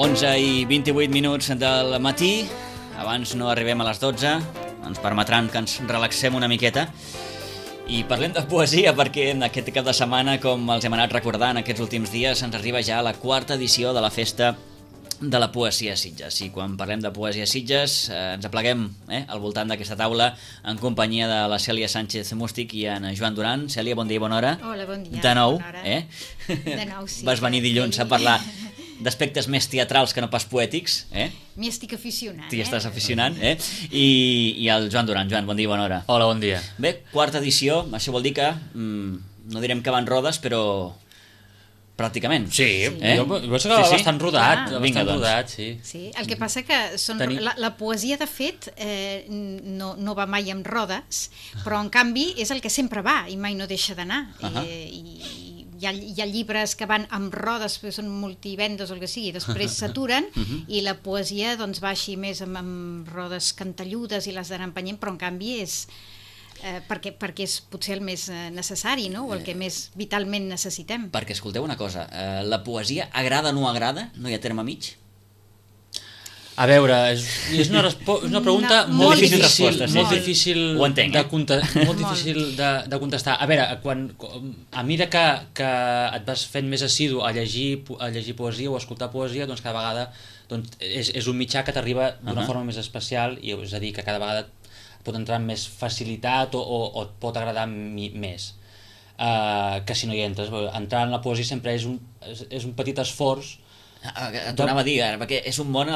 11:28 del matí, abans no arribem a les 12, ens permetran que ens relaxem una miqueta i parlem de poesia perquè en aquest cap de setmana, com els hem anat recordant aquests últims dies, ens arriba ja la quarta edició de la Festa de la Poesia a Sitges. I quan parlem de Poesia a Sitges ens apleguem al voltant d'aquesta taula en companyia de la Cèlia Sánchez Mústic i en Joan Duran. Cèlia, bon dia i bona hora. Hola, bon dia. De nou, bona hora. De nou, sí. Vas venir dilluns a parlar d'aspectes més teatrals que no pas poètics. M'hi estic aficionant. T'hi estàs aficionant, I el Joan Duran. Joan, bon dia i bona hora. Hola, bon dia. Bé, quarta edició, això vol dir que no direm que van rodes, però pràcticament. Sí. Jo penso que bastant rodat. Vinga, doncs. Rodat, sí. Sí, el que passa que la poesia, de fet, no va mai amb rodes, però en canvi és el que sempre va i mai no deixa d'anar. Hi ha llibres que van amb rodes, que són multivendes o el que sigui, després s'aturen i la poesia doncs, va així més amb rodes cantelludes i les d'anar empenyent, però en canvi és perquè és potser el més necessari, no? O el que més vitalment necessitem. Perquè escolteu una cosa, la poesia agrada o no agrada? No hi ha terme mig? A veure, és una pregunta molt difícil de contestar. A veure, a mesura que et vas fent més assidu a llegir poesia o a escoltar poesia, doncs cada vegada és un mitjà que t'arriba d'una forma més especial, i és a dir, que cada vegada pot entrar amb més facilitat o et pot agradar més que si no hi entres. Entrar en la poesia sempre és un petit esforç. T'ho anava a dir, perquè és un món,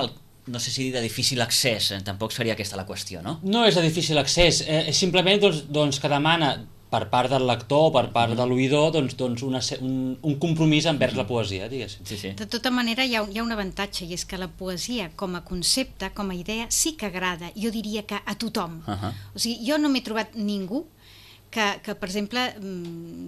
no sé si dir de difícil accés, tampoc seria aquesta la qüestió, no? No és de difícil accés, és simplement que demana per part del lector, per part de l'oïdor, un compromís envers la poesia, diguéssim. Sí. De tota manera, hi ha un avantatge, i és que la poesia, com a concepte, com a idea, sí que agrada, jo diria que a tothom. O sigui, jo no m'he trobat ningú que per exemple,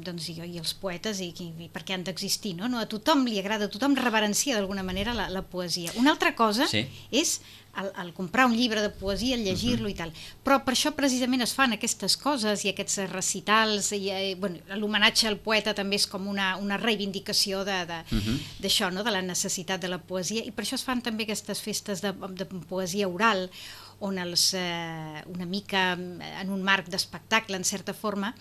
doncs jo i els poetes, i perquè han d'existir, no? A tothom li agrada, a tothom reverencia d'alguna manera la poesia. Una altra cosa és el comprar un llibre de poesia, el llegir-lo i tal. Però per això precisament es fan aquestes coses i aquests recitals, i l'homenatge al poeta també és com una reivindicació d'això, no? De la necessitat de la poesia, i per això es fan també aquestes festes de poesia oral, on una mica en un marc d'espectacle, en certa forma,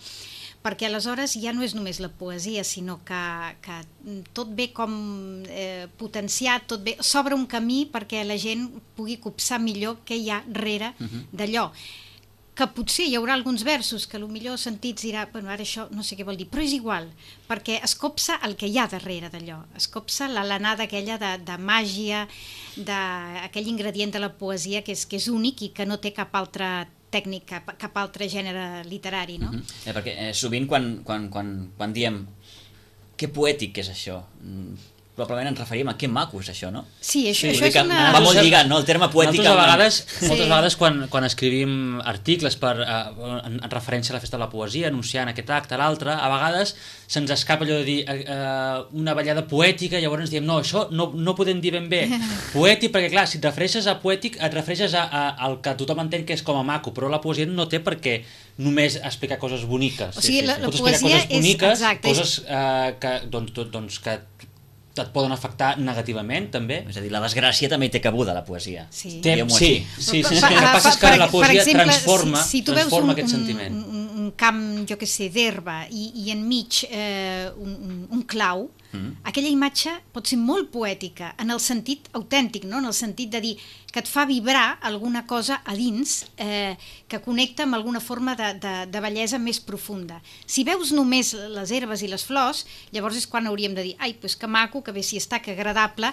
perquè aleshores ja no és només la poesia, sinó que tot ve com potenciat, s'obre un camí perquè la gent pugui copsar millor què hi ha darrere d'allò. Que potser hi haurà alguns versos que potser sentits dirà, bueno, ara això no sé què vol dir, però és igual, perquè es copsa el que hi ha darrere d'allò, es copsa l'anada aquella de màgia, d'aquell ingredient de la poesia que és únic i que no té cap altra tècnica, cap altre gènere literari, no? Perquè sovint quan diem que poètic és això, probablement ens referim a que maco és això, no? Sí, això és una... Va molt lligat, no? El terme poètic... Moltes vegades quan escrivim articles en referència a la Festa de la Poesia, anunciant aquest acte, l'altre, a vegades se'ns escapa allò de dir una ballada poètica, llavors diem, no, això no podem dir ben bé poètic, perquè clar, si et refereixes a poètic, et refereixes al que tothom entén que és com a maco, però la poesia no té per què només explicar coses boniques. O sigui, la poesia és... Coses que et poden afectar negativament, també. És a dir, la desgràcia també té cabuda, la poesia. Sí. El que passa és que la poesia transforma aquest sentiment. Un camp, jo què sé, d'herba i enmig un clau, aquella imatge pot ser molt poètica, en el sentit autèntic, no? En el sentit de dir que et fa vibrar alguna cosa a dins que connecta amb alguna forma de bellesa més profunda. Si veus només les herbes i les flors, llavors és quan hauríem de dir, ai, doncs que maco, que bé s'hi està, que agradable,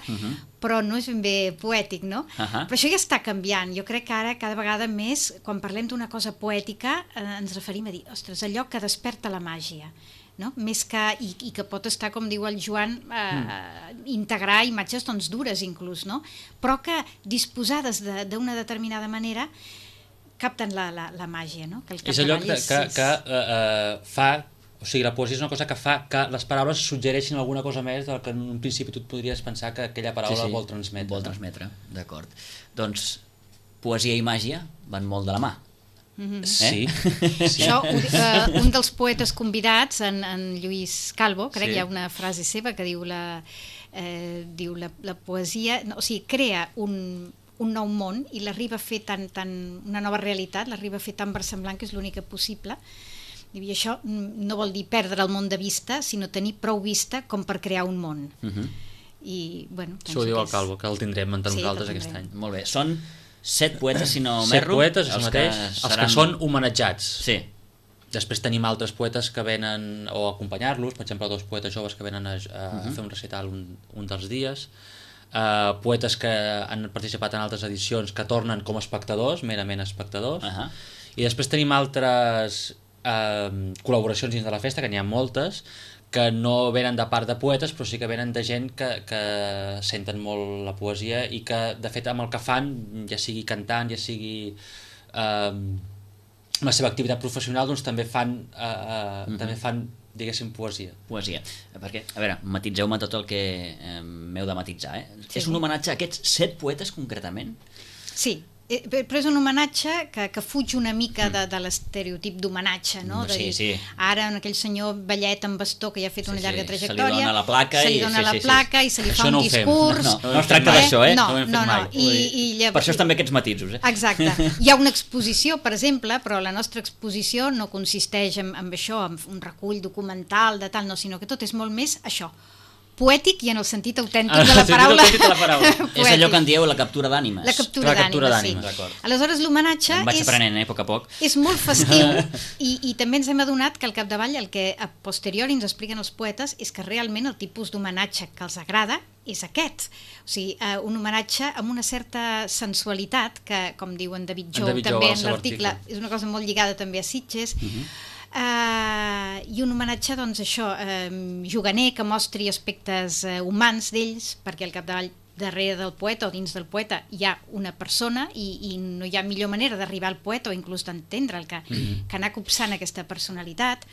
però no és ben bé poètic, no? Però això ja està canviant. Jo crec que ara cada vegada més, quan parlem d'una cosa poètica, ens referim a dir, ostres, allò que desperta la màgia, no? Més que, i que pot estar, com diu el Joan, integrar imatges dures inclús, no? Però que disposades d'una determinada manera capten la màgia, no? És allò que fa, o sigui, la poesia és una cosa que fa que les paraules suggereixin alguna cosa més del que en un principi tu et podries pensar que aquella paraula vol transmetre. Vol transmetre, d'acord. Doncs poesia i màgia van molt de la mà. Sí. Això, un dels poetes convidats, en Lluís Calvo, crec, hi ha una frase seva que diu diu la poesia, o sigui, crea un nou món i l'arriba a fer una nova realitat, l'arriba a fer tan versemblant que és l'única possible. I això no vol dir perdre el món de vista, sinó tenir prou vista com per crear un món. I, bueno, això ho diu el Calvo, que el tindrem entre nosaltres aquest any. Molt bé, són 7 poetes, si no m'erro. 7 poetes, això mateix, els que són homenatjats. Sí. Després tenim altres poetes que venen o a acompanyar-los, per exemple 2 poetes joves que venen a fer un recital un dels dies, poetes que han participat en altres edicions que tornen com a espectadors, merament espectadors, i després tenim altres col·laboracions dins de la festa, que n'hi ha moltes, que no venen de part de poetes, però sí que venen de gent que senten molt la poesia i que, de fet, amb el que fan, ja sigui cantant, ja sigui la seva activitat professional, doncs també fan, diguéssim, poesia. Poesia. Perquè, a veure, matitzeu-me tot el que m'heu de matitzar, És un homenatge a aquests 7 poetes, concretament? Sí. Però és un homenatge que fuig una mica de l'estereotip d'homenatge, no? Sí. Ara aquell senyor vellet amb bastó que ja ha fet una llarga trajectòria, se li dona la placa i se li fa un discurs. No es tracta d'això, No. Per això estan bé aquests matisos, Exacte. Hi ha una exposició, per exemple, però la nostra exposició no consisteix en això, en un recull documental de tal, no, sinó que tot és molt més això, poètic i en el sentit autèntic de la paraula. És allò que en dieu la captura d'ànimes. La captura d'ànimes, sí. Aleshores, l'homenatge em vaig aprenent, a poc a poc. És molt festiu i també ens hem adonat que al capdavall el que a posteriori ens expliquen els poetes és que realment el tipus d'homenatge que els agrada és aquest. O sigui, un homenatge amb una certa sensualitat que, com diu en David Jou també en l'article, és una cosa molt lligada també a Sitges, i un homenatge, doncs això, juganer, que mostri aspectes humans d'ells, perquè al capdavall darrere del poeta o dins del poeta hi ha una persona i no hi ha millor manera d'arribar al poeta o inclús d'entendre'l que anar copsant aquesta personalitat.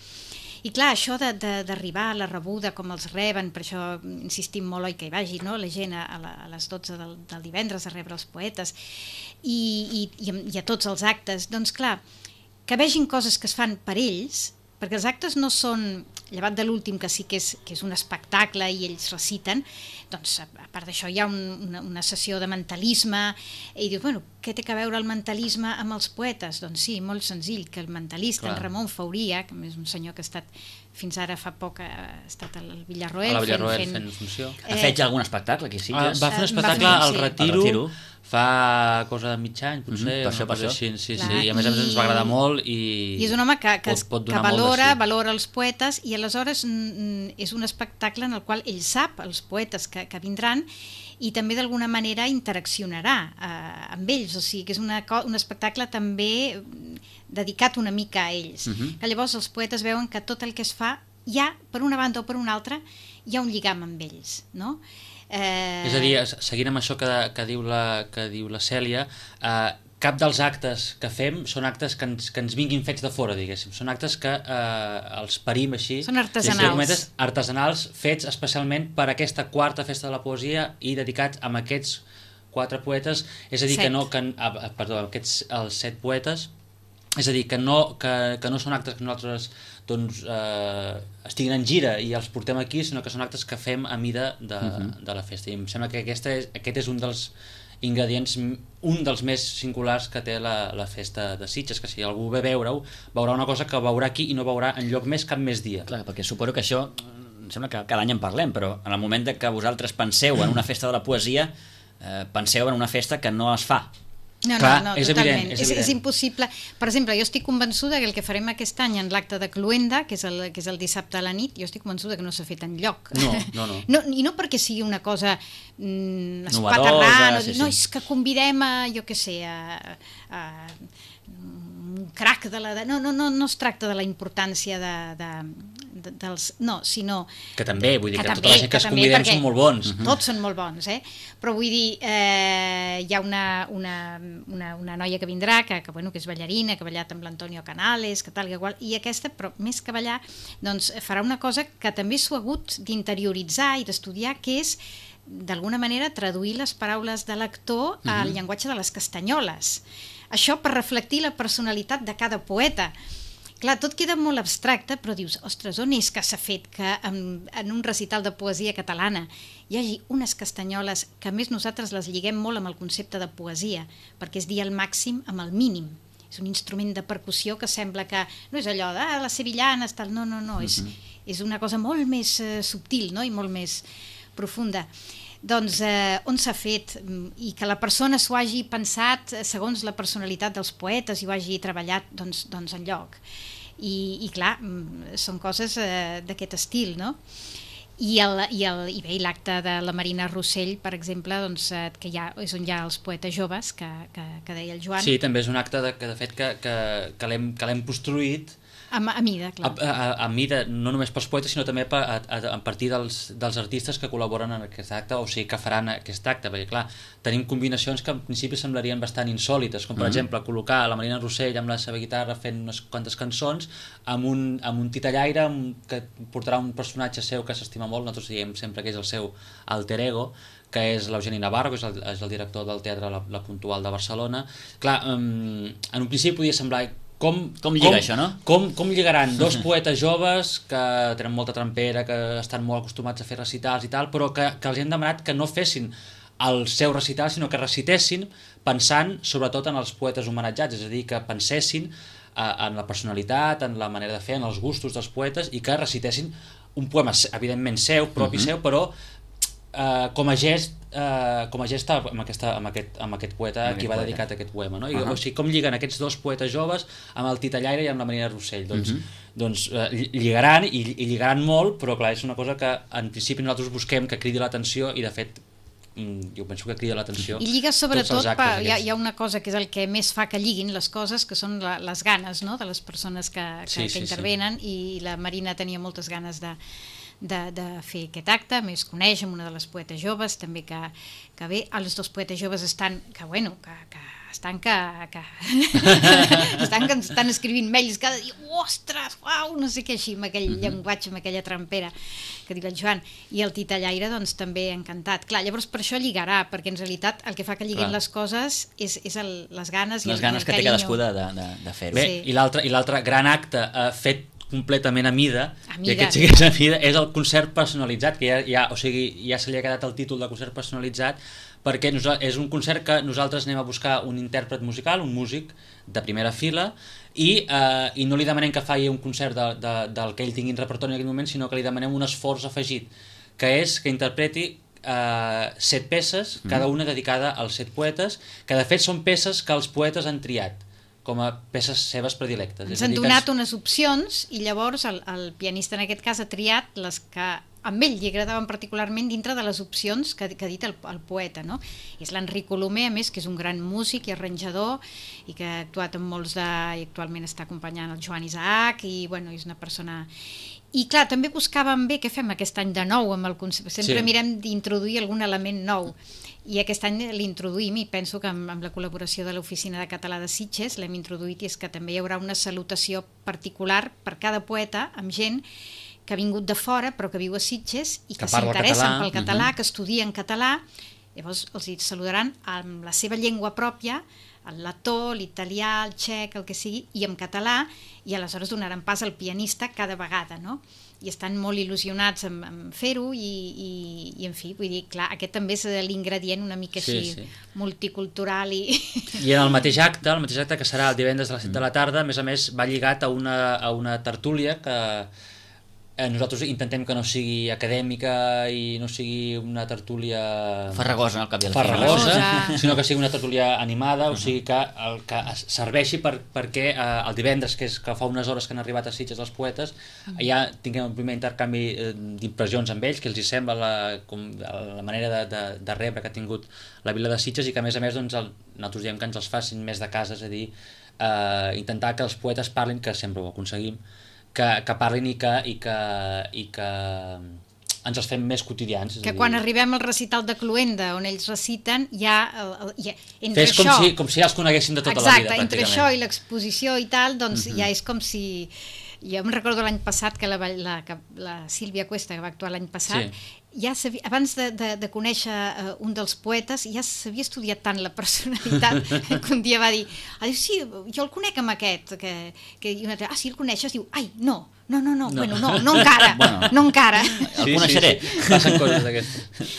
I clar, això d'arribar a la rebuda, com els reben, per això insistim molt, oi, que hi vagi, no? La gent a les 12 del divendres a rebre els poetes i a tots els actes, doncs clar, que vegin coses que es fan per ells, perquè els actes no són, llevat de l'últim que sí que és un espectacle i ells reciten, doncs a part d'això hi ha una sessió de mentalisme i dius, bueno, què té a veure el mentalisme amb els poetes? Doncs sí, molt senzill, que el mentalista, en Ramon Fauria, que és un senyor que ha estat fins ara fa poc ha estat al Villarroel fent funció. Ha fet ja algun espectacle aquí, sí? Va fer un espectacle al Retiro fa cosa de mig any, potser, per això. Sí, i a més ens va agradar molt i és un home que valora els poetes i aleshores és un espectacle en el qual ell sap els poetes que vindran i també d'alguna manera interaccionarà amb ells, o sigui que és un espectacle també dedicat una mica a ells, que llavors els poetes veuen que tot el que es fa ja, per una banda o per una altra, hi ha un lligam amb ells, no? És a dir, seguint amb això que diu la Cèlia, cap dels actes que fem són actes que ens vinguin fets de fora, diguéssim. Són actes que els parim així. Són artesanals. Artesanals, fets especialment per aquesta quarta festa de la poesia i dedicats a aquests 4 poetes, és a dir, aquests els 7 poetes, és a dir, que no són actes que nosaltres estiguin en gira i els portem aquí, sinó que són actes que fem a mida de la festa. I em sembla que aquest és un dels ingredients, un dels més singulars que té la festa de Sitges, que si algú ve a veure-ho, veurà una cosa que veurà aquí i no veurà enlloc més cap més dia. Clar, perquè suposo que això, em sembla que cada any en parlem, però en el moment que vosaltres penseu en una festa de la poesia, penseu en una festa que no es fa. No, és totalment. Evident. És impossible. Per exemple, jo estic convençuda que el que farem aquest any en l'acte de Cluenda, que és el dissabte a la nit, jo estic convençuda que no s'ha fet enlloc. No. I no perquè sigui una cosa espaterrant, no, és que convidem a, jo què sé, a un crac de la... No es tracta de la importància dels... No, sinó... Que també, vull dir que tota la gent que es convidem són molt bons. Tots són molt bons, però vull dir, hi ha una noia que vindrà, que és ballarina, que ha ballat amb l'Antonio Canales, que tal, que qual, i aquesta, però més que ballar, doncs farà una cosa que també s'ho ha hagut d'interioritzar i d'estudiar, que és, d'alguna manera, traduir les paraules de l'actor al llenguatge de les castanyoles. Això per reflectir la personalitat de cada poeta. Clar, tot queda molt abstracte, però dius, ostres, on és que s'ha fet que en un recital de poesia catalana hi hagi unes castanyoles que a més nosaltres les lliguem molt amb el concepte de poesia, perquè és dir el màxim amb el mínim. És un instrument de percussió que sembla que no és allò de les sevillanes, tal, no, és una cosa molt més subtil, no? I molt més profunda. Doncs on s'ha fet i que la persona s'ho hagi pensat segons la personalitat dels poetes i ho hagi treballat doncs enlloc. I clar, són coses d'aquest estil, no? I bé, l'acte de la Marina Rossell, per exemple, doncs, que és on hi ha els poetes joves, que deia el Joan. Sí, també és un acte que de fet que l'hem construït a mida, clar. A mida, no només pels poetes, sinó també a partir dels artistes que col·laboren en aquest acte, o sigui, que faran aquest acte, perquè clar, tenim combinacions que en principi semblarien bastant insòlites, com per exemple col·locar la Marina Rossell amb la seva guitarra fent unes quantes cançons, amb un titellaire que portarà un personatge seu que s'estima molt, nosaltres diem sempre que és el seu alter ego, que és l'Eugeni Navarro, que és el director del Teatre La Puntual de Barcelona. Clar, en un principi podia semblar com lliga això, no? Com lligaran dos poetes joves que tenen molta trempera, que estan molt acostumats a fer recitals i tal, però que els hem demanat que no fessin el seu recital, sinó que recitessin pensant sobretot en els poetes homenatjats, és a dir, que pensessin en la personalitat, en la manera de fer, en els gustos dels poetes, i que recitessin un poema, evidentment seu, propi seu, però com a gest amb aquest poeta a qui va dedicat aquest poema, no? O sigui, com lliguen aquests dos poetes joves amb el titellaire i amb la Marina Rossell, doncs lligaran i lligaran molt, però clar, és una cosa que en principi nosaltres busquem que cridi l'atenció i de fet jo penso que crida l'atenció. I lliga sobretot, hi ha una cosa que és el que més fa que lliguin les coses, que són les ganes, no?, de les persones que intervenen, i la Marina tenia moltes ganes de fer aquest acte, més coneix amb una de les poetes joves, també que bé, els dos poetes joves estan escrivint mails cada dia, ostres, uau, no sé què, així, amb aquell llenguatge, amb aquella trempera que diu el Joan, i el titellaire doncs també encantat. Clar, llavors per això lligarà, perquè en realitat el que fa que lliguin les coses és les ganes i el carinyo. Les ganes que té cadascú de fer-ho. Bé, i l'altre gran acte fet completament a mida, i aquest sí que és a mida, és el concert personalitzat, que ja se li ha quedat el títol de concert personalitzat, perquè és un concert que nosaltres anem a buscar un intèrpret musical, un músic de primera fila, i no li demanem que faci un concert del que ell tingui en repertori en aquell moment, sinó que li demanem un esforç afegit, que és que interpreti 7 peces, cada una dedicada als 7 poetes, que de fet són peces que els poetes han triat com a peces seves predilectes. Ens han donat unes opcions i llavors el pianista en aquest cas ha triat les que a ell li agradaven particularment dintre de les opcions que ha dit el poeta, no? És l'Enric Colomer, a més, que és un gran músic i arranjador i que ha actuat amb molts i actualment està acompanyant el Joan Isaac i bueno, és una persona... I clar, també buscàvem bé què fem aquest any de nou amb el concepte. Sempre mirem d'introduir algun element nou. I aquest any l'introduïm i penso que amb la col·laboració de l'Oficina de Català de Sitges l'hem introduït, i és que també hi haurà una salutació particular per cada poeta amb gent que ha vingut de fora però que viu a Sitges i que s'interessen pel català, que estudien català. Llavors els saludaran amb la seva llengua pròpia, el letó, l'italià, el txec, el que sigui, i en català, i aleshores donaran pas al pianista cada vegada, no? I estan molt il·lusionats en fer-ho i en fi, vull dir, clar, aquest també és l'ingredient una mica així multicultural i en el mateix acte que serà el divendres a les 7 de la tarda, a més va lligat a una tertúlia que nosaltres intentem que no sigui acadèmica i no sigui una tertúlia farragosa, al cap i a la fi, sinó que sigui una tertúlia animada, o sigui que serveixi perquè el divendres, que fa unes hores que han arribat a Sitges els poetes, ja tinguem un primer intercanvi d'impressions amb ells, que els hi sembla la manera de rebre que ha tingut la vila de Sitges, i que a més doncs, nosaltres diem que ens els facin més de casa, és a dir, intentar que els poetes parlin, que sempre ho aconseguim, que parlin i que ens els fem més quotidians. Que quan arribem al recital de Cluenda, on ells reciten, entre fes com si ja els coneguessin de tota la vida, exacte, entre això i l'exposició i tal, doncs ja és com si Jo em recordo l'any passat que la Sílvia Cuesta, que va actuar l'any passat, ja sabia, abans de conèixer un dels poetes, ja s'havia estudiat tant la personalitat que un dia va dir, sí, jo el conec amb aquest, i un altre, sí, el coneixes? Diu, ai, no encara, no encara. El coneixeré. Passen coses d'aquestes.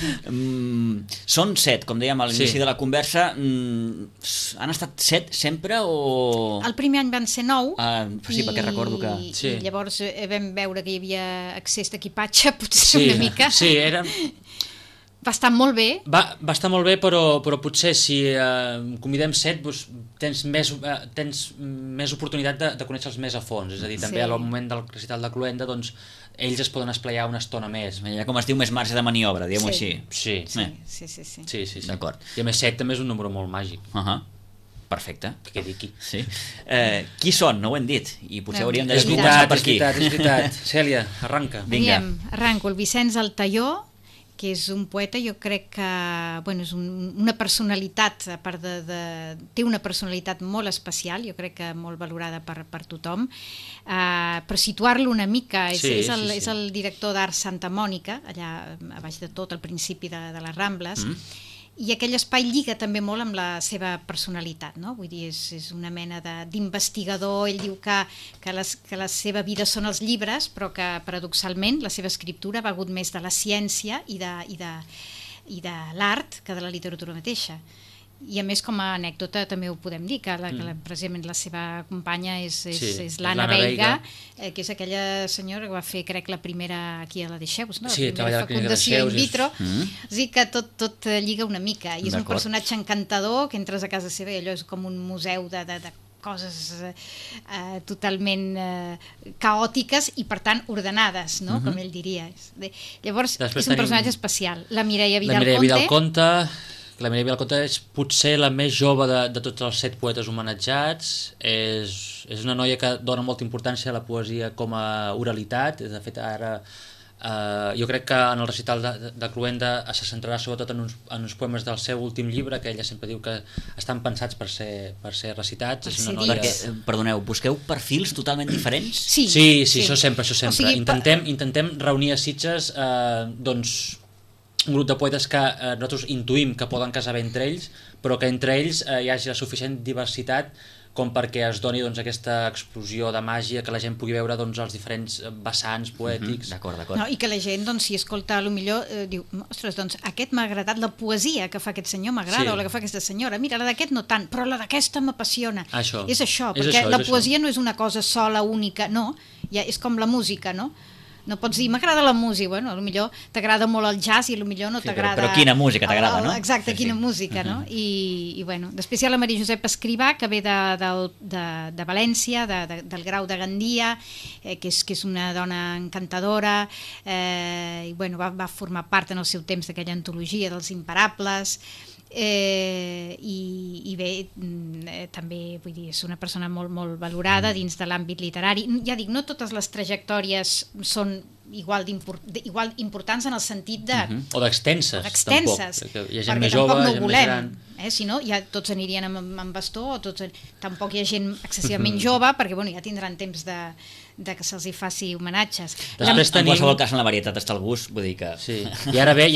Són 7, com dèiem a l'inici de la conversa. Han estat 7 sempre o...? El primer any van ser 9. Sí, perquè recordo que... I llavors vam veure que hi havia excés d'equipatge, potser una mica. Sí, era... Va estar molt bé. Va estar molt bé, però potser si convidem 7 doncs, tens més oportunitat de conèixer-los més a fons. És a dir, també al moment del recital de Cluenda, doncs, ells es poden esplaiar una estona més. Ja, com es diu, més marge de maniobra, diguem-ho així. Sí. D'acord. I a més 7 també és un número molt màgic. Perfecte. Que quedi aquí. Sí. Qui són? No ho hem dit. I potser hauríem de és veritat. Cèlia, arranca. Vinga. Arranco. El Vicenç Altaió, que és un poeta, jo crec que és una personalitat, a part té una personalitat molt especial, jo crec que molt valorada per tothom, però situar-lo una mica, és el director d'Art Santa Mònica, allà a baix de tot, al principi de les Rambles, i aquell espai lliga també molt amb la seva personalitat, no? Vull dir, és una mena d'investigador. Ell diu que la seva vida són els llibres, però que paradoxalment la seva escriptura ha valgut més de la ciència i de l'art que de la literatura mateixa. I a més, com a anècdota també ho podem dir, que precisament la seva companya és l'Anna Veiga, que és aquella senyora que va fer, crec, la primera aquí a la Deixeus, no? Sí, la primera fecundació in vitro. O sigui que tot lliga una mica, i és un personatge encantador, que entres a casa seva i allò és com un museu de coses totalment caòtiques i per tant ordenades, no? Com ell diria. Llavors és un personatge especial. La Mireia Vidal Conte. La Mireia Vidal Conte és potser la més jove de tots els 7 poetes homenatjats. És una noia que dona molta importància a la poesia com a oralitat. De fet, ara jo crec que en el recital de Cluenda se centrarà sobretot en uns poemes del seu últim llibre, que ella sempre diu que estan pensats per ser recitats. És una noia... Perdoneu, busqueu perfils totalment diferents? Sí, això sempre. O sigui, intentem reunir a Sitges un grup de poetes que nosaltres intuïm que poden casar bé entre ells, però que entre ells hi hagi la suficient diversitat com perquè es doni aquesta explosió de màgia, que la gent pugui veure els diferents vessants poètics. D'acord. No, i que la gent, si escolta, potser diu, ostres, aquest m'ha agradat, la poesia que fa aquest senyor m'agrada, o la que fa aquesta senyora, mira, la d'aquest no tant, però la d'aquesta m'apassiona. És això, perquè la poesia no és una cosa sola, única, no, és com la música, no? No pots dir, m'agrada la música, bueno, potser t'agrada molt el jazz i potser no t'agrada... Però quina música t'agrada, no? Exacte, quina música, no? I bueno, després hi ha la Maria Josep Escrivà, que ve de València, del Grau de Gandia, que és una dona encantadora, i bueno, va formar part en el seu temps d'aquella antologia dels Imparables, i bé, també vull dir, és una persona molt, molt valorada dins de l'àmbit literari. Ja dic, no totes les trajectòries són igual importants en el sentit de... O d'extenses, tampoc. Hi ha gent més jove, gent més gran. Si no, ja tots anirien amb bastó, tampoc hi ha gent excessivament jove, perquè bueno, ja tindran temps de que se'ls hi faci homenatges. En qualsevol cas, en la varietat està el gust, vull dir que... Sí. I ara ve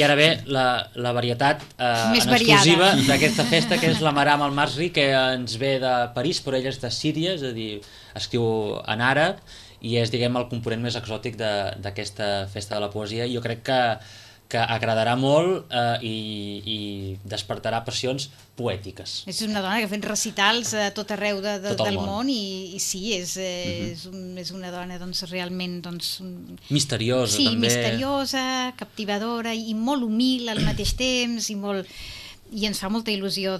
la varietat en exclusiva d'aquesta festa, que és la Maram Al-Masri, que ens ve de París, però ella és de Síria, és a dir, escriu en àrab, i és, diguem, el component més exòtic d'aquesta festa de la poesia. Jo crec que agradarà molt i despertarà passions poètiques. És una dona que ha fet recitals a tot arreu del món i sí, és una dona realment... misteriosa, també. Sí, misteriosa, captivadora i molt humil al mateix temps i ens fa molta il·lusió,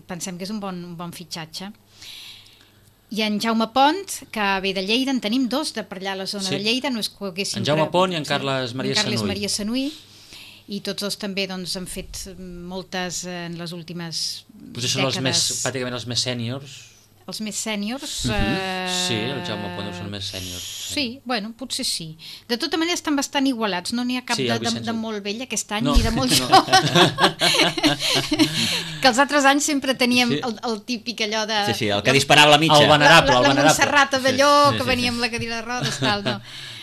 pensem que és un bon fitxatge. I en Jaume Pont, que ve de Lleida, en tenim 2 de per allà a la zona de Lleida, no és que haguéssim... En Jaume Pont i en Carles Maria Sanuy, i tots els també han fet moltes en les últimes potser són pràcticament els més sèniors. els més sèniors... Sí, el Jaume Pont són més sèniors. Sí, bueno, potser sí. De tota manera estan bastant igualats, no n'hi ha cap de molt vell aquest any ni de molt jove. Que els altres anys sempre teníem el típic allò de... Sí, el que disparava la mitja. El venerable. La Montserrat Avelló, que venia amb la cadira de rodes, tal, no.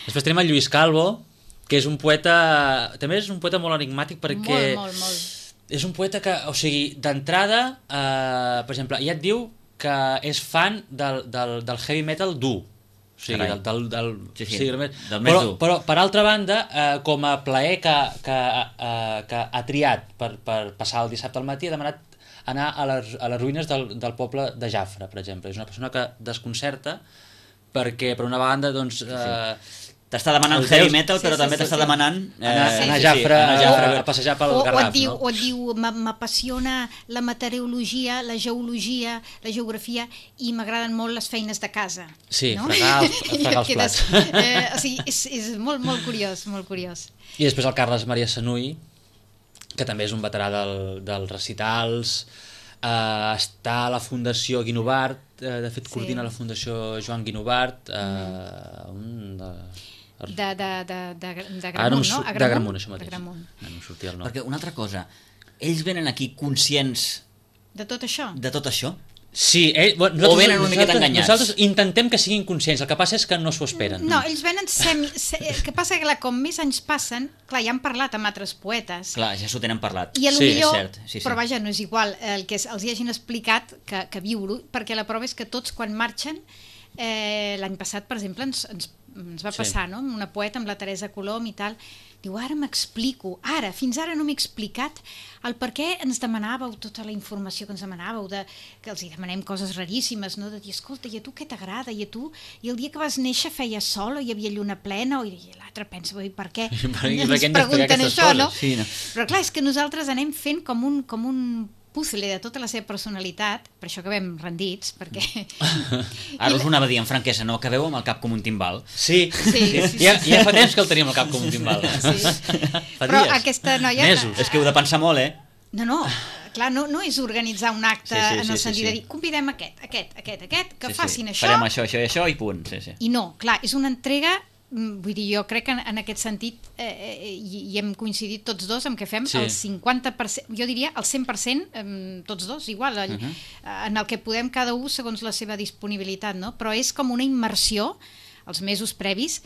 Després tenim el Lluís Calvo, que és un poeta... També és un poeta molt enigmàtic perquè... Molt. És un poeta que, o sigui, d'entrada, per exemple, ja et diu que és fan del heavy metal dur. O sigui, del més dur. Però, per altra banda, com a plaer que ha triat per passar el dissabte al matí, ha demanat anar a les ruïnes del poble de Jafre, per exemple. És una persona que desconcerta perquè, per una banda, doncs... T'està demanant heavy metal, però també t'està demanant anar a Jafre a passejar pel Garraf. O et diu, m'apassiona la meteorologia, la geologia, la geografia, i m'agraden molt les feines de casa. Sí, fregar els plats. O sigui, és molt curiós, molt curiós. I després el Carles Maria Sanuy, que també és un veterà dels recitals, està a la Fundació Guinovart, de fet coordina la Fundació Joan Guinovart, de Gramunt, no? De Gramunt, això mateix. No em sortia el nom. Perquè una altra cosa, ells venen aquí conscients de tot això? Sí, o venen una miqueta enganyats? Nosaltres intentem que siguin conscients, el que passa és que no s'ho esperen. No, ells venen el que passa que com més anys passen, clar, ja han parlat amb altres poetes. Clar, ja s'ho tenen parlat. I potser, però vaja, no és igual el que els hi hagin explicat que viure-ho, perquè la prova és que tots quan marxen, l'any passat, per exemple, ens va passar, no? Una poeta amb la Teresa Colom i tal, diu, ara m'explico, fins ara no m'he explicat el per què ens demanàveu tota la informació que ens demanàveu, que els hi demanem coses raríssimes, no? De dir, escolta, i a tu què t'agrada? I a tu? I el dia que vas néixer feia sol o hi havia lluna plena? I l'altre pensa, per què ens pregunten això, no? Però clar, és que nosaltres anem fent com un puzzle de tota la seva personalitat, per això acabem rendits, perquè... Ara us ho anava a dir en franquesa, no acabeu amb el cap com un timbal? Sí. Ja fa temps que el tenim el cap com un timbal. Fa però dies, aquesta noia... mesos. És que heu de pensar molt, No, clar, no és organitzar un acte en el sentit de dir, convidem aquest, que facin això... Farem això i això i punt. I no, clar, és una entrega... Vull dir, jo crec que en aquest sentit hi hem coincidit tots dos en què fem el 50%, jo diria el 100%, tots dos, igual, en el que podem cada un segons la seva disponibilitat, no? Però és com una immersió els mesos previs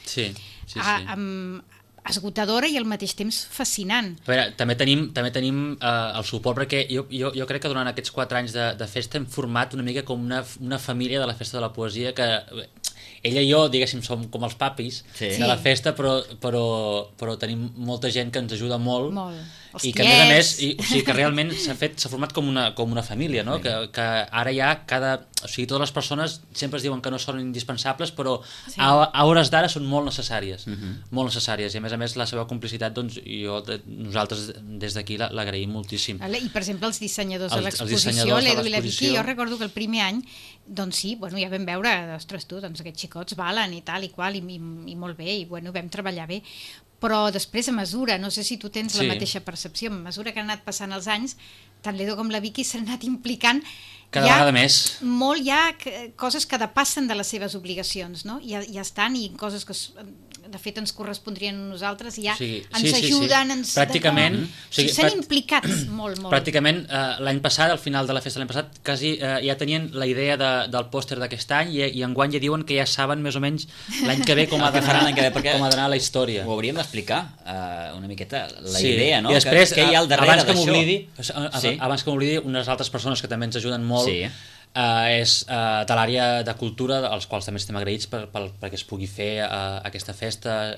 esgotadora i al mateix temps fascinant. A veure, també tenim el suport, perquè jo crec que durant aquests 4 anys de festa hem format una mica com una família de la Festa de la Poesia, que ella i jo, diguéssim, som com els papis de la festa, però tenim molta gent que ens ajuda molt. I que a més a més, o sigui, que realment s'ha format com una família, no? Que ara ja o sigui, totes les persones sempre es diuen que no són indispensables, però a hores d'ara són molt necessàries, molt necessàries, i a més la seva complicitat, doncs nosaltres des d'aquí l'agraïm moltíssim. I per exemple els dissenyadors de l'exposició, l'Edu i la Vicky, jo recordo que el primer any, doncs sí, ja vam veure, ostres tu, doncs aquests xicots valen i tal i qual, i molt bé, i vam treballar bé, però després a mesura, no sé si tu tens la mateixa percepció, a mesura que han anat passant els anys, tant l'Edu com la Vicky s'han anat implicant cada vegada més. Molt hi ha coses que depassen de les seves obligacions, no? Ja estan, i coses que de fet ens correspondrien a nosaltres, i ja ens ajuden, pràcticament s'han implicat molt. Pràcticament l'any passat, al final de la festa de l'any passat, quasi ja tenien la idea del pòster d'aquest any, i enguany ja diuen que ja saben més o menys l'any que ve com ha d'anar la història. Ho hauríem d'explicar una miqueta la idea, no? I després, què hi ha al darrere d'això? Abans que m'oblidi, unes altres persones que també ens ajuden molt és de l'àrea de cultura, als quals també estem agraïts perquè es pugui fer aquesta festa,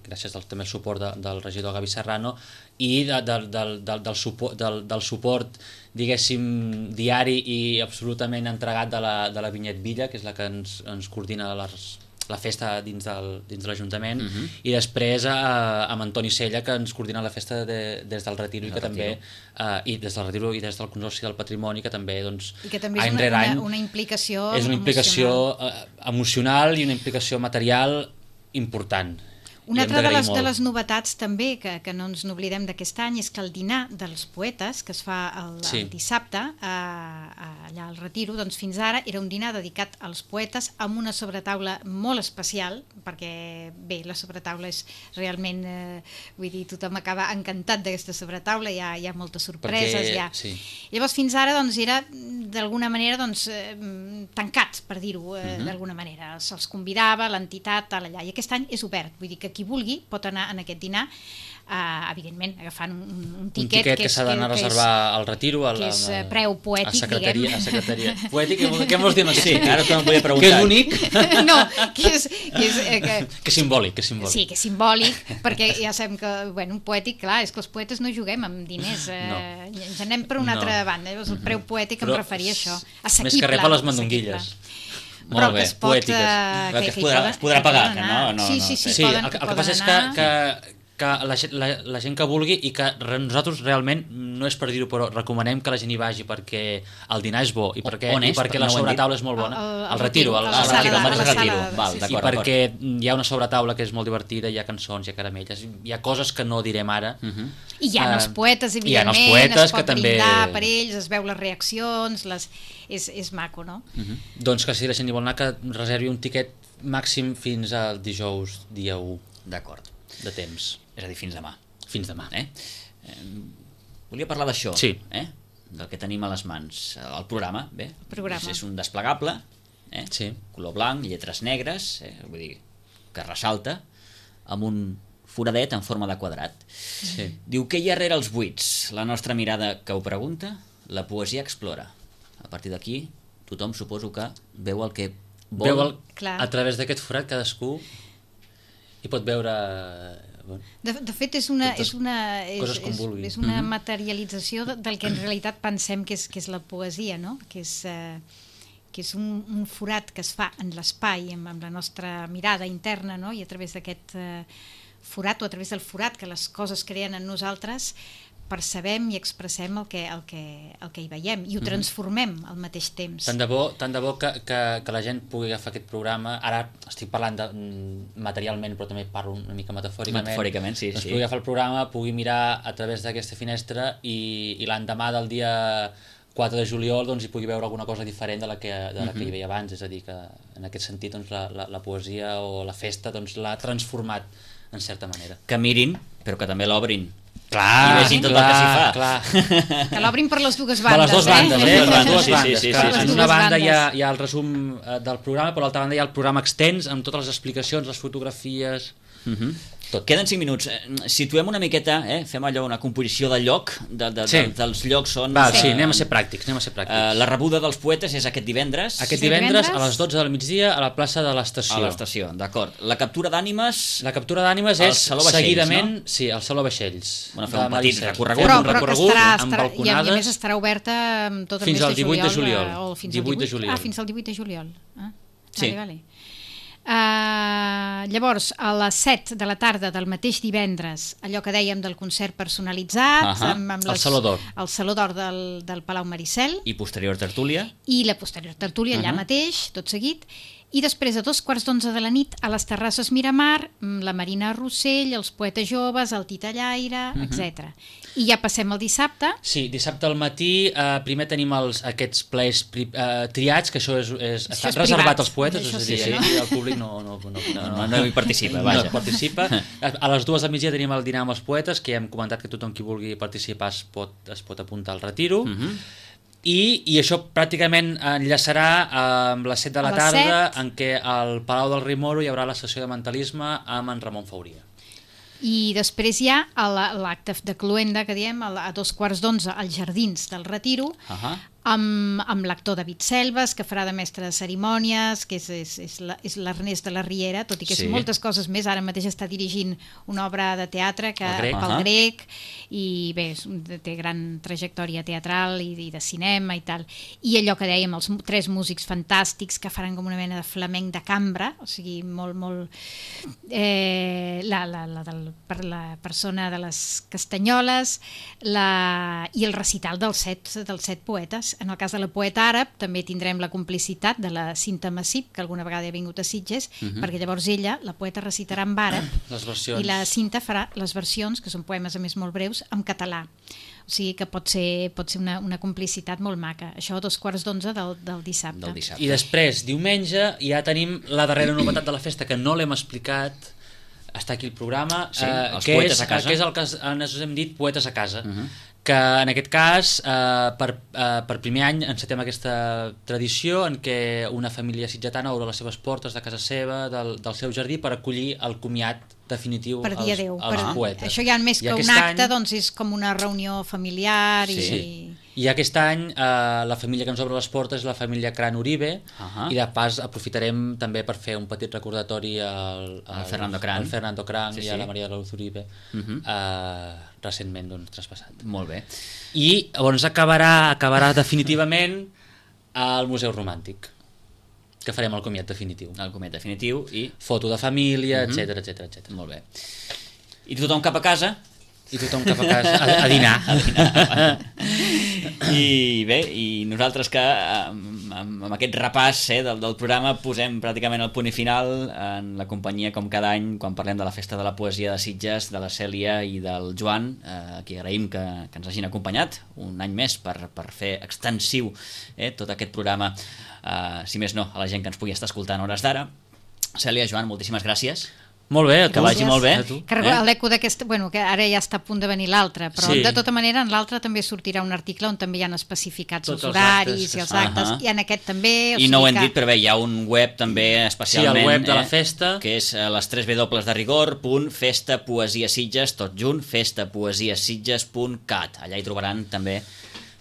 gràcies també al suport del regidor Gavi Serrano, i del suport, diguéssim, diari i absolutament entregat de la Vinyet Villa, que és la que ens coordina la festa dins de l'Ajuntament, i després amb Antoni Sella, que ens coordina la festa des del Retiro, i que també i des del Retiro i des del Consorci del Patrimoni, que també és una implicació emocional i una implicació material important. Una altra de les novetats també, que no ens n'oblidem d'aquest any, és que el dinar dels poetes, que es fa el dissabte, allà al Retiro, doncs fins ara era un dinar dedicat als poetes amb una sobretaula molt especial, perquè bé, la sobretaula és realment, vull dir, tothom acaba encantat d'aquesta sobretaula, hi ha moltes sorpreses, Llavors fins ara doncs era d'alguna manera tancats, per dir-ho d'alguna manera, se'ls convidava l'entitat allà, i aquest any és obert, vull dir que qui vulgui pot anar en aquest dinar, evidentment agafant un tiquet que s'ha d'anar a reservar al Retiro, que és preu poètic, diguem. A secretaria. Poètic, què vols dir? Sí, ara te'n volia preguntar. Que és únic? No, que és simbòlic. Sí, que és simbòlic, perquè ja sabem que, un poètic, clar, és que els poetes no juguem amb diners, ens anem per una altra banda, llavors el preu poètic em referia a això, assequible. Més que res per les mandonguilles. Molt bé, poètiques. Que es podrà pagar, que no? Sí, el que passa és que la gent que vulgui, i que nosaltres realment, no és per dir-ho, però recomanem que la gent hi vagi perquè el dinar és bo i perquè la sobretaula és molt bona. El Retiro, el Retiro, i perquè hi ha una sobretaula que és molt divertida, hi ha cançons, hi ha caramelles, hi ha coses que no direm ara. I hi ha els poetes, evidentment, es pot brindar per ells, es veu les reaccions, és maco, no? Doncs que si la gent hi vol anar, que reservi un tiquet màxim fins al dijous, dia 1. D'acord. De temps. És a dir, fins demà. Fins demà. Volia parlar d'això, sí. Del que tenim a les mans. El programa, bé, és un desplegable, sí. Color blanc, lletres negres, vull dir, que ressalta, amb un foradet en forma de quadrat. Sí. Diu, què hi ha rere els buits? La nostra mirada que ho pregunta, la poesia explora. A partir d'aquí, tothom suposo que veu el que vol. A través d'aquest forat cadascú hi pot veure... De fet, és una materialització del que en realitat pensem que és la poesia, no? Que és un forat que es fa en l'espai, amb la nostra mirada interna, no? I a través d'aquest forat, o a través del forat que les coses creen en nosaltres, percebem i expressem el que hi veiem i ho transformem al mateix temps. Tant de bo que la gent pugui agafar aquest programa. Ara estic parlant materialment, però també parlo una mica metafòricament, sí. Pugui agafar el programa, pugui mirar a través d'aquesta finestra i l'endemà del dia 4 de juliol hi pugui veure alguna cosa diferent de la que hi veia abans. És a dir, que en aquest sentit la poesia o la festa l'ha transformat en certa manera. Que mirin, però que també l'obrin. Clar, i vegin tot el que s'hi fa. Que l'obrin per les dues bandes. Per les dues bandes, Per les dues bandes. Sí. En una banda hi ha el resum del programa, però a l'altra banda hi ha el programa extens amb totes les explicacions, les fotografies... Tot. Queden 5 minuts. Situem una miqueta, fem allò, una composició del lloc, dels llocs on... Sí, anem a ser pràctics. La rebuda dels poetes és aquest divendres. Aquest divendres a les 12 del migdia a la plaça de l'Estació. A l'Estació, d'acord. La captura d'ànimes... La captura d'ànimes és seguidament... No? Sí, al Saló Vaixells. Fer un petit recorregut. Amb balconades. I a més estarà oberta tot el mes de juliol. Fins al 18 de juliol. Fins al 18 de juliol. Sí. Vale. Llavors a les 7 de la tarda del mateix divendres, allò que dèiem del concert personalitzat, amb el Saló d'Or, el Saló d'Or del Palau Maricel, i posterior tertúlia, i la posterior tertúlia allà mateix, tot seguit. I després a 2:15 de la nit a les terrasses Miramar, la Marina Rossell, els poetes joves, el Titellaire, etc. I ja passem al dissabte. Sí, dissabte al matí primer tenim aquests plaers triats, que això està reservat als poetes, és a dir, el públic no hi participa, vaja. No participa. A les 2 del migdia tenim el dinar amb els poetes, que ja hem comentat que tothom qui vulgui participar es pot apuntar al Retiro. I això pràcticament enllaçarà amb les 7 de la tarda, en què al Palau del Rei Moro hi haurà la sessió de mentalisme amb en Ramon Fauria. I després hi ha l'acte de cloenda, que diem, a 2:15 als Jardins del Retiro, amb l'actor David Selves, que farà de mestre de cerimònies, que és l'Ernest de la Riera, tot i que és moltes coses més. Ara mateix està dirigint una obra de teatre pel Grec, i bé, té gran trajectòria teatral i de cinema i tal. I allò que dèiem, els 3 músics fantàstics que faran com una mena de flamenc de cambra, o sigui, molt... per la persona de les Castanyoles, i el recital dels 7 poetes, en el cas de la poeta àrab, també tindrem la complicitat de la Cinta Massip, que alguna vegada ha vingut a Sitges, perquè llavors ella, la poeta, recitarà en àrab Les versions. i la Cinta farà les versions, que són poemes a més molt breus, en català. O sigui que pot ser una complicitat molt maca. Això a 11:15 del dissabte. I després, diumenge, ja tenim la darrera novetat de la festa, que no l'hem explicat, està aquí el programa, Sí, els que poetes a casa. que és el que ens hem dit Poetes a casa, que en aquest cas, per primer any encetem aquesta tradició en què una família sitgetana obre les seves portes de casa seva, del seu jardí, per acollir el comiat definitiu Per dia 10. als poetes. Això ja més que un acte, doncs és com una reunió familiar. I aquest any la família que ens obre les portes és la família Cran Uribe, i de pas aprofitarem també per fer un petit recordatori al Fernando Cran, i a la Maria de la Luz Uribe, recentment traspassat. Molt bé. I llavors acabarà definitivament al Museu Romàntic, que farem el comiat definitiu. El comiat definitiu i... Foto de família, etc. Molt bé. I tothom cap a casa? I tothom cap a casa a dinar. I bé, i nosaltres que amb aquest repàs del programa posem pràcticament el punt i final en la companyia, com cada any, quan parlem de la Festa de la Poesia de Sitges, de la Cèlia i del Joan, que agraïm que ens hagin acompanyat un any més per fer extensiu tot aquest programa, si més no, a la gent que ens pugui estar escoltant a hores d'ara. Cèlia, Joan, moltíssimes gràcies. Molt bé, a tu. Que vagi molt bé. Que l'eco d'aquesta, bueno, que ara ja està a punt de venir l'altre, però de tota manera en l'altre també sortirà un article on també hi han especificats els horaris i els actes, i en aquest també. I no ho hem dit, però bé, hi ha un web també especialment, el web de la festa, que és les 3 W de rigor.festapoesiasitges, tot junt, festapoesiasitges.cat. Allà hi trobaran també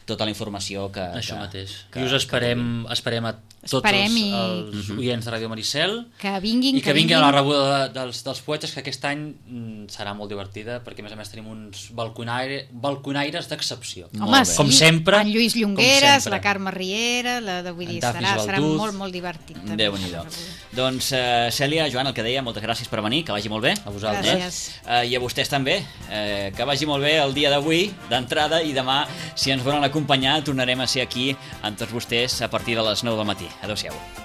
tota la informació que... Això mateix. I us esperem a tots els oients de Ràdio Maricel, que vinguin a la rebuda dels poetes, que aquest any serà molt divertida, perquè a més tenim uns balconaires d'excepció. Home, sí, com sempre, en Lluís Llongueres, la Carme Riera, vull dir, serà molt divertit. Déu-n'hi-do. Doncs Cèlia, Joan, el que deia, moltes gràcies per venir, que vagi molt bé. A vosaltres. I a vostès també, que vagi molt bé el dia d'avui, d'entrada, i demà, si ens volen acompanyar, tornarem a ser aquí amb tots vostès a partir de les 9 del matí. Adéu-siau.